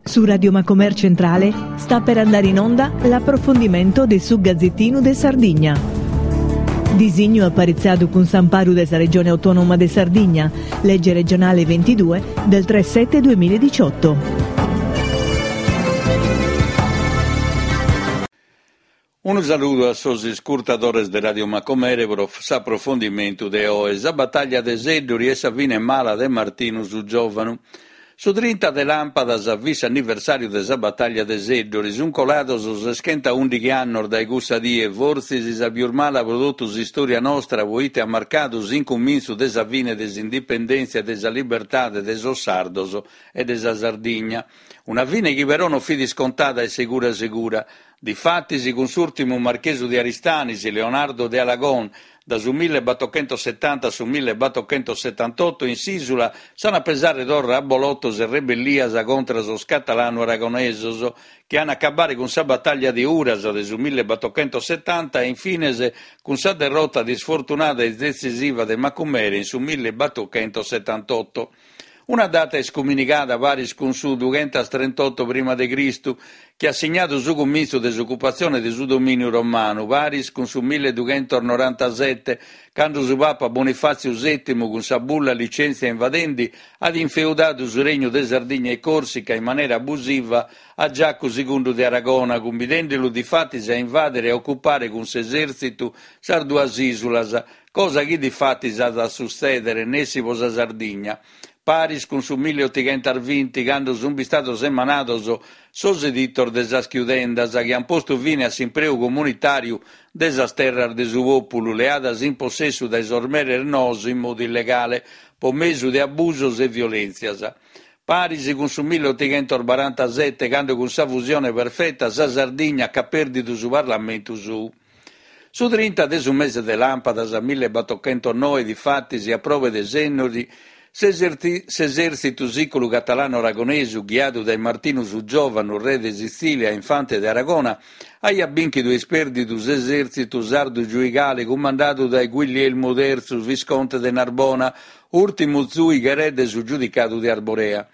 Su Radio Macomer Centrale sta per andare in onda l'approfondimento de su Gazzettinu de Sardigna. Disignu aparitzadu cun s'amparu de sa Regione Autonoma de Sardigna, legge regionale 22 del 3 7 2018. Unu saludu a sos iscurtadores de Radio Macumere pro s'aprofondimentu de oe, sa batalla de Seddori e sa fine mala de Martinu su Giòvanu. Su trinta de làmpadas fit s'anniversàriu de sa batalla de Seddori, sunt colados seschentaùndighi annos dae cussa die, fortzis sa pius mala pro totu s'istòria nostra proite at marcadu s'incumintzu de sa fine de s'indipendèntzia e de sa libertade de sos sardos e de sa Sardigna. Una fine chi però non fit iscontada e segura segura. Difatis, cun s'ùrtimu marchesu de Aristanis, Leonardo de Alagon, da su millebattochentossetanta a su millebattochentossetantotto in s'ìsula s'an a pesare torra abbolotos e rebellias contra sos catalanu-aragonesos, chi an a acabare cun sa batalla de Uras de su millebattochentossetanta e infines cun sa derrota disfortunada e detzisiva de Macumere in su millebattochentossetantotto. Una data iscuminigada paris cun su dughentastrentotto prima de Cristu, chi at signadu su cumintzu de s'ocupatzione de su domìniu romanu, paris cun su milledughentos-norantasete, cando su papa Bonifàtziu sètimu cun sa bulla Licentia Invadendi at infeudadu su Regnu de Sardigna e Còrsica in manera abusiva a Giacu segundu de Aragona, cumbidende·lu difatis a invàdere e a ocupare cun s'esèrtzitu sas duas ìsulas, Cosa chi difatis at a sutzèdere nessi pro sa Sardigna, paris cun su milleotighentasvinti, cando sunt bistados emanados sos editos de sas chiudendas, chi ant postu fine a s'impreu comunitàriu de sas terras de su pòpulu, leadas in possessu dae sos meres noos in modu illegale, pro mesu de abusos e violèntzias. Paris cun su milleotighentosbarantasete, cando cun sa fusione perfeta sa Sardigna ch'at pèrdidu su parlamentu sou. Su trinta de su mese de làmpadas millebattochentosnoe, difatis, a probe de Sennori, s'esèrtzitu sìculu catalanu-aragonesu, ghiadu dae Martinu su Giòvanu, re de Sitzìlia e infante de Aragona, aiat bìnchidu e ispèrdidu s'esèrtzitu sardu giuigale cumandadu dae Guillielmu tertzu, visconte de Narbona, ùrtimu zùighe re de su giudicadu de Arborea.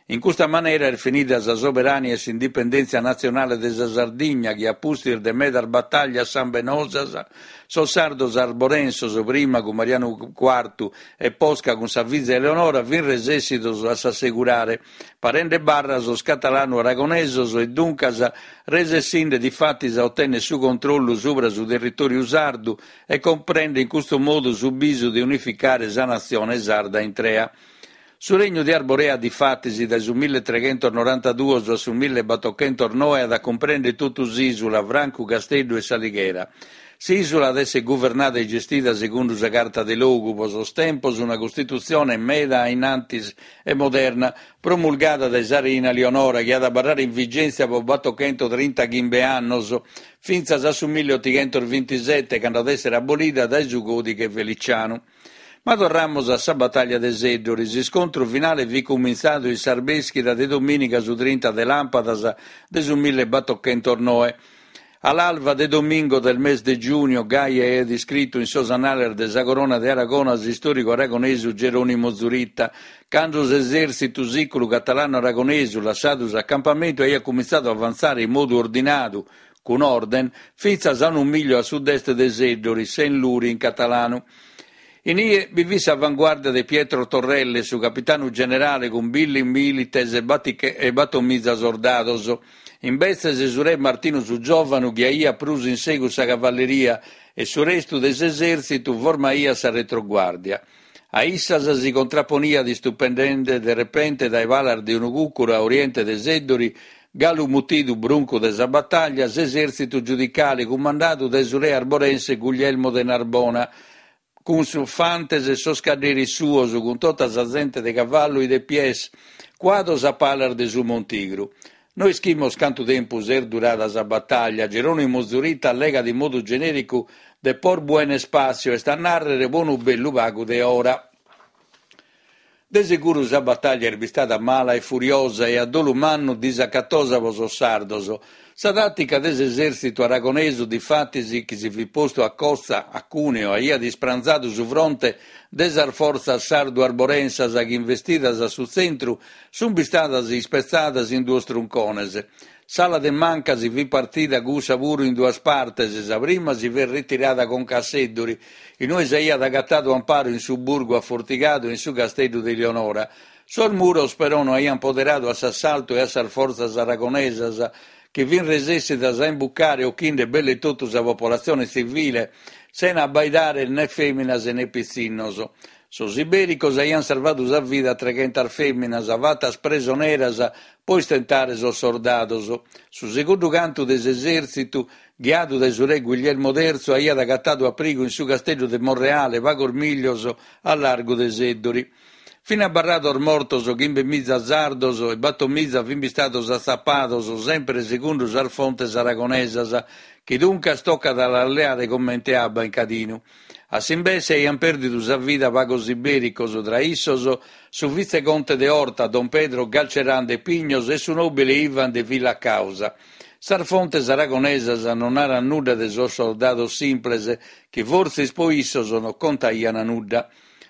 In custa manera est finida sa soberania e s'indipendèntzia natzionale de sa Sardigna chi a pustis de medas batallas sambenosas, sos sardos arborensos, prima cun Marianu Cuartu e posca cun sa fiza Eleonora, fin resèssidos a s'assegurare, parende barra a sos catalanu-aragonesos e duncas resessinde difatis a otènnere su controllu subra su territòriu sardu e cumprende in custu modu su bisu de unificare sa natzione sarda intrea. Su Regnu de Arborea difatis dae su milletreghentos-norantaduos a su millebattochentosnoe at a cumprèndere totu s'ìsula, francu Casteddu e S'Alighera. S'ìsula at èssere guvernada e gestida segundu sa Carta de Logu, pro sos tempos una costitutzione meda a in antis e moderna, promulgada dae sa reina Lionora, chi at a abarrare in vigèntzia pro battochentotrintaghimbe annos, fintzas a su milleotighentosvintisete, cando at èssere abolida dae su Còdighe Felicianu. Ma torramus a sa batalla de Seddori. S'iscontru finale fit cumintzadu in s'arbèschida de domìniga su trinta de làmpadas de su millebattochentosnoe. Al alba de domingo del mes de giugno, gai aiat iscritu in sos annales de sa Corona de Aragona s'istòricu aragonesu Geronimo Zurita, cando s'esèrtzitu sìculu catalanu-aragonesu, lassadu s'acampamentu, aiat cumintzadu a avantzare in modu ordinadu, cun orden, fintzas a unu mìgliu a sud-est de Seddori, Sent Luri in catalanu. In ie bi fit s'avanguàrdia de Pietro Torrelle, su capitanu generale cun milli milites e battomiza sordados. Imbetzes su re Martinu su Giòvanu ghiaiat prus in segus sa cavalleria e su restu de s'esèrtzitu formaiat sa retroguàrdia. A issas si contraponiat istupendende de repente dae palas de unu cùcuru a oriente de Seddori, galu mutidu Bruncu de sa Batalla, s'esèrtzitu giudicale cumandadu dae su re arborense Guglielmo de Narbona, cun sos fantes e sos cadderis suos, cun tota sa zente de cavallu e de pies, cuados a palas de su montigru. No ischimus cantu tempus est durada sa batalla. Geronimo Zurita allegat in modu genèricu de por buen espacio, est a nàrrere pro unu bellu pagu de ora. De seguru sa batalla est bistada mala e furiosa e a dolu mannu disacatosa pro sos sardos. Sa tàtica de s'esèrtzitu aragonesu, difatis, chi si fit postu a costa a Cuneo, aiat ispranzadu su fronte de sas fortzas sardu-arborensas chi, investidas a su tzentru, sunt bistadas ispetzadas in duos truncones. S'ala de manca si fit partida cussa puru in duas partes, sa prima si fit ritirada conca a Seddori, in ue s'aiat agatadu amparu in su burgu afortigadu e in su casteddu de Ilionora. Sos muros però no aiant poderadu a s'assaltu e a sas fortzas aragonesas, chi fint resessidas a imbucare ochinde belle totu sa popolatzione tzivile, sena abbaidare ne fèminas e ne pitzinnos. Sos ibèricos aiant sarvadu sa vida a treghentas fèminas, fatas presoneras pro istentare sos sordados. Su segundu cantu de s'esèrtzitu, ghiadu dae su re Guglielmo Terzu, aiat agatadu aprigu in su casteddu de Monreale, pagos mìllios a largu de Seddori. Fin abarrados mortos chimbemiza sardos e batomiza fin bistados atzapados, semper segundu sas fontes aragonesas, chi duncas tocat a las leare comente abba in cadinu. A s'imbesse aiant pèrdidu sa vida pagos ibèricos, tra issos su vitzeconte de Orta, don Pedro Galcerán de Pignos e su nòbile Ivan de Villacausa. Sas fontes aragonesas non naran nudda de sos sordados simples, chi fortzis pro issos non contaiant nudda.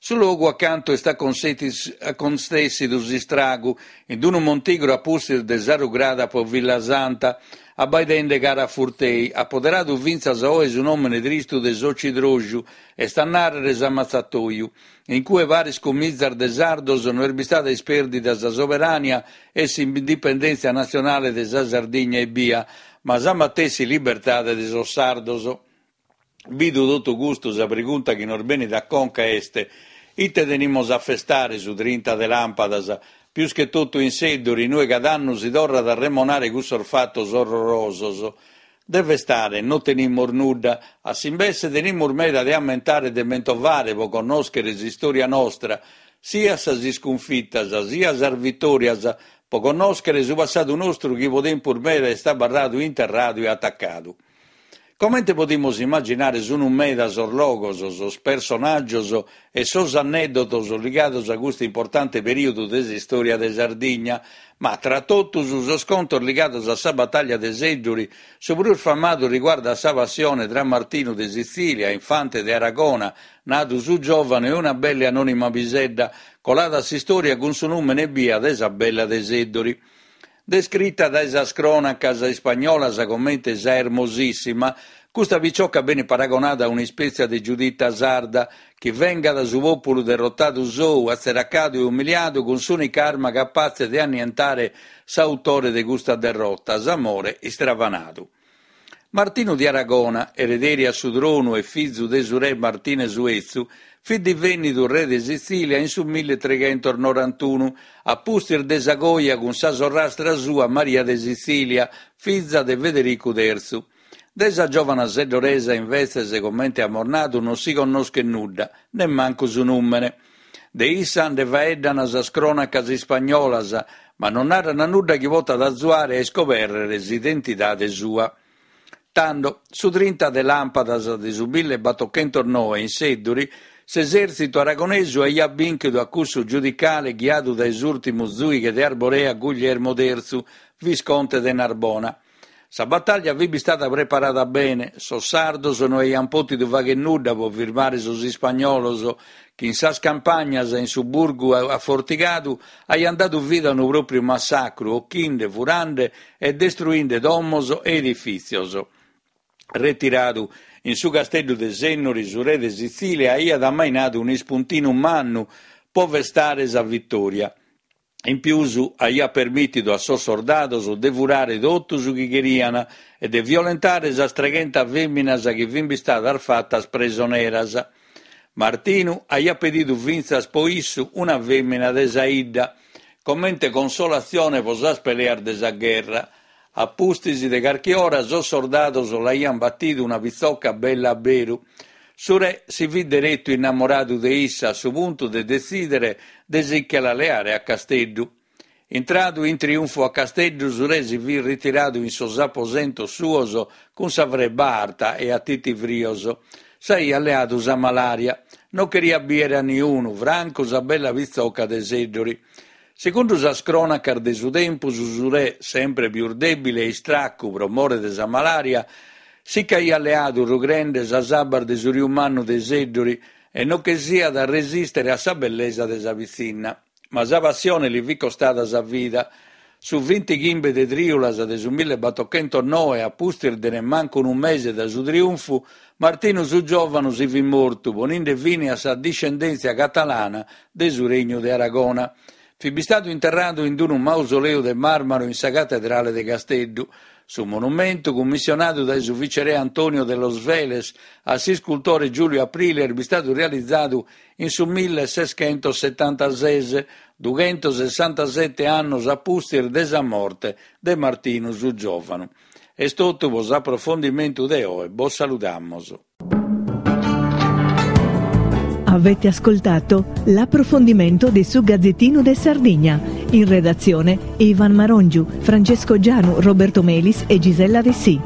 Su logu acantu est acontèssidu s'istragu, in unu montigru a pustis de sa rugrada pro Villasanta, abbaidende cara a Furtei, at poderadu fintzas a oe su nòmene tristu de s'Ocidroxu, est a nàrrere s'ammatzatoju. In cue paris cun mizas de sardos no est bistada ispèrdida sa soberania e s'indipendèntzia natzionale de sa Sardigna ebbia, ma sa matessi libertade de sos sardos. Bidu totu custu sa pregunta chi nos benit a conca est, ite tenimus a festare su trinta de làmpadas, pius che totu in Seddori, in ue cada annu si torrat a remonare cussos fatos orrorosos? De festare non tenimus nudda, a s'imbesse tenimus meda de ammentare e de mentovare pro connòschere s'istòria nostra, siat sas iscunfitas, siat sas vitòrias, pro connòschere su passadu nostru chi pro tempus meda est abarradu interradu e atacadu. Comente podimus immaginare sun meda sos logos, sos personàgios e sos anèddotos ligados a custu importante perìodu de s'istòria de Sardigna, ma tra totus sos contos ligados a sa batalla de Seddori, su prus famadu riguardat sa passione tra Martinu de Sitzìlia, infante de Aragona, nadu su Giòvanu e una bella e anònima pisedda, colada a s'istòria cun su nùmene ebbia de sa Bella de Seddori. Descrita dae sas crònacas ispagnolas comente sa Hermosissima, custa picioca benit paragonada a un'ispètzia de Giudita sarda, chi vengat su pòpulu derrotadu sou, atzeracadu e umiliadu cun s'ùnica arma capatze de annientare s'autore de custa derrota, s'amore istravanadu. Martinu de Aragona, erederi a su tronu e fizu de su re Martine su 'Etzu, fit divènnidu re de Sitzìlia in su milletreghentos-norantunu, a pustis de sa coja cun sa sorrastra sua Maria de Sitzìlia, fiza de Federicu Tertzu. De sa giòvana seddoresa imbetzes, comente amus nadu, non si connoschet nudda, nemmancu su nùmene. De issa nde faeddan sas crònacas ispagnolas, ma non naran nudda chi potat azuare a iscobèrrere s'identidade sua. Tando, su trinta de làmpadas de su millebattochentosnoe in Seddori, s'esèrtzitu aragonesu aiat bìnchidu a cussu giudicale ghiadu dae s'ùrtimu zùighe de Arborea Guglielmo Tertzu, visconte de Narbona. Sa batàllia fit bistada preparada bene, sos sardos no aiant pòtidu fàghere nudda pro firmare sos ispagnolos, chi in sas campagnas e in su burgu afortigadu aiant dadu vida a unu pròpriu massacru, ochinde, furande e destruinde domos e edifìtzios. Retiradu in su casteddu de Sennori, su re de Sitzìlia aiat ammainadu un'ispuntinu mannu pro festare sa vitòria. In pius aiat permìtidu a sos sordados de furare totu su chi cherian e de violentare sas treghentas fèminas chi fin bistadas fatas presoneras. Martinu aiat pedidu fintzas po issu una fèmina de sa 'idda, comente consolatzione po sas peleas de sa gherra. A pustis de carchi ora sos sordados l'aian batidu una pitzoca bella a beru. Su re si fit deretu innamoradu de issa a su puntu de detzìdere de si che la leare a Casteddu. Intradu in triunfu a Casteddu su re si fit ritiradu in sos aposentos suos cun sa frebba arta e a titivrios. S'aiat leadu sa malària. Non cheriat bìere a niunu, francu sa bella pitzoca de Seddori. Segundu sas crònacas de su tempus, su re, sempre pius dèbile e istraccu pro more de sa malària, si ch'aiat leadu rugrende sas abbas de su Riu Mannu de Seddori e non chessiat a resìstere a sa bellesa de sa pitzinna. Ma sa passione li fit costada sa vida. Su vintighimbe de trìulas de su millebattochentosnoe, a pustis de nemmancu unu mese dae su triunfu, Martinu su Giòvanu si fit mortu, poninde fine a sa discendèntzia catalana de su Regnu de Aragona. Fit bistadu interradu in unu mausoleu de màrmaru in sa Catedrale de Casteddu. Su monumentu, cummissionadu dae su viceré Antonio de los Vélez a s'iscultore Giulio Aprile, est bistadu realizadu in su milleseschentossetantases, dughentosessantasete annos a pustis de sa morte de Martinu su Giòvanu. Est totu pro s'aprofondimentu de oe, bos saludamos. Avete ascoltato l'approfondimento di Su Gazzettino de Sardigna. In redazione Ivan Marongiu, Francesco Gianu, Roberto Melis e Gisella Dessì.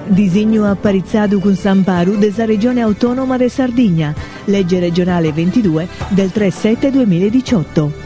Disignu aparitzadu cun s'amparu de sa Regione Autonoma de Sardigna, legge regionale 22 del 3 7 2018.